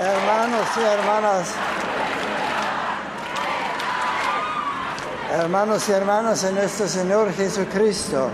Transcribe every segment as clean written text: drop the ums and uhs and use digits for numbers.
Hermanos y hermanas en nuestro Señor Jesucristo.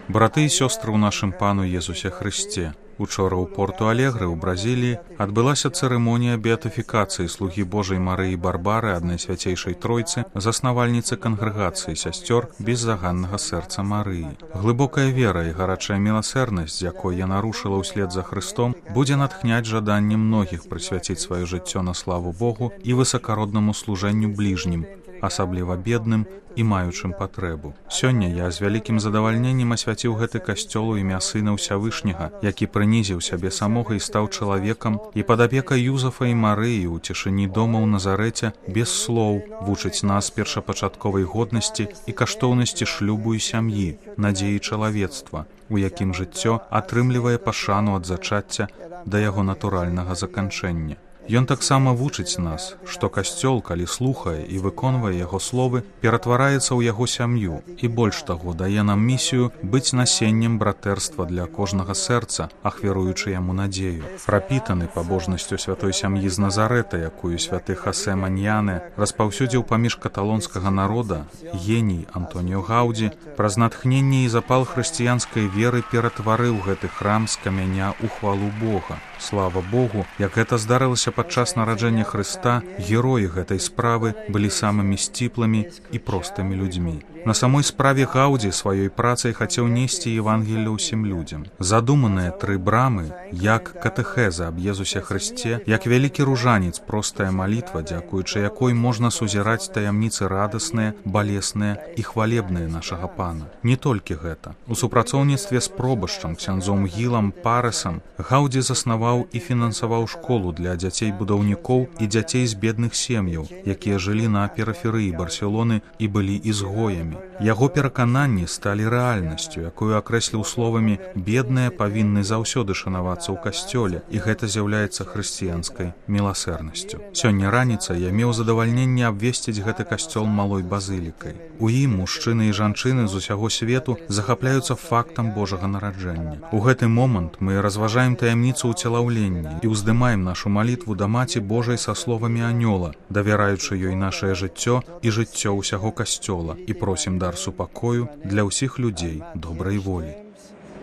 Браты і сёстры ў нашым Пану Езусе Хрысце. Учора ў Порту-Алегры ў Бразіліі адбылася цырымонія беатыфікацыі слугі Божай Марыі Барбары, аднай свяцейшай Тройцы, заснавальніцы кангрэгацыі сясцёр беззаганнага сэрца Марыі. Глыбокая вера і гарачая міласэрнасць, з якой яна рушыла ўслед за Хрыстом, будзе натхняць жаданне многіх прысвяціць сваё жыццё на славу Богу і высакароднаму служэнню бліжнім, асабліва бедным і маючым патрэбу. Сёння я з вялікім задавальненнем асвяціў гэты касцёл у імя Сына Ўсявышняга, які прынізіў сябе самога і стаў чалавекам, і пад апекай Юзафа і Марыі ў цішыні дома ў Назарэце без слоў вучыць нас першапачатковай годнасці і каштоўнасці шлюбу і сям'і, надзеі чалавецтва, у якім жыццё атрымлівае пашану ад зачацця да яго натуральнага заканчэння. Ён таксама вучыць нас, што касцёл, калі слухае і выконвае яго словы, ператвараецца ў яго сям'ю і больш таго дае нам місію быць насеннем братэрства для кожнага сэрца, ахвяруючы яму надзею. Прапітаны пабожнасцю святой сям'і з Назарэта, якую святы Хасе Маньяне распаўсюдзіў паміж каталонскага народа, геній Антоніо Гаўдзі праз натхненне і запал хрысціянскай веры ператварыў гэты храм з камяня ў хвалу Бога. Слава Богу, як гэта здарылася падчас нараджэння Хрыста, героі гэтай справы былі самымі сціплымі і простымі людзьмі. На самой справе Гаўдзі сваёй працай хацеў несці Евангелле ўсім людзям. Задуманыя 3 брамы, як катэхеза аб Езусе Хрысце, як вялікі ружанец, простая малітва, дзякуючы якой можна сузіраць таямніцы радасныя, балесныя і хвалебныя нашага Пана. Не толькі гэта. У супрацоўніцтве з пробашчам, ксяндзом Гілам Парэсам, Гаўдзі заснаваў і фінансаваў школу для дзяцей-будаўнікоў і дзяцей з бедных сем'яў, якія жылі на перыферыі Барселоны і былі ізгоямі. Яго перакананні сталі рэальнасцю, якую акрэсліў словамі «бедныя павінны заўсёды шанавацца ў касцёле», і гэта з'яўляецца хрысціянскай міласэрнасцю. Сёння раніцай я меў задавальненне абвесціць гэты касцёл малой базылікай. У ім мужчыны і жанчыны з усяго свету захапляюцца фактам Божага нараджэння. У гэты момант мы разважаем таямніцу ўцелаўлення і ўздымаем нашу малітву да Маці Божай са словамі анёла, давяраючы ёй нашае жыццё і жыццё ўсяго касцёла, і просім дар супакою для ўсіх людзей добрай волі.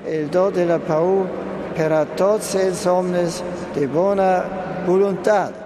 El do de la pau per a tots els homes de bona voluntat.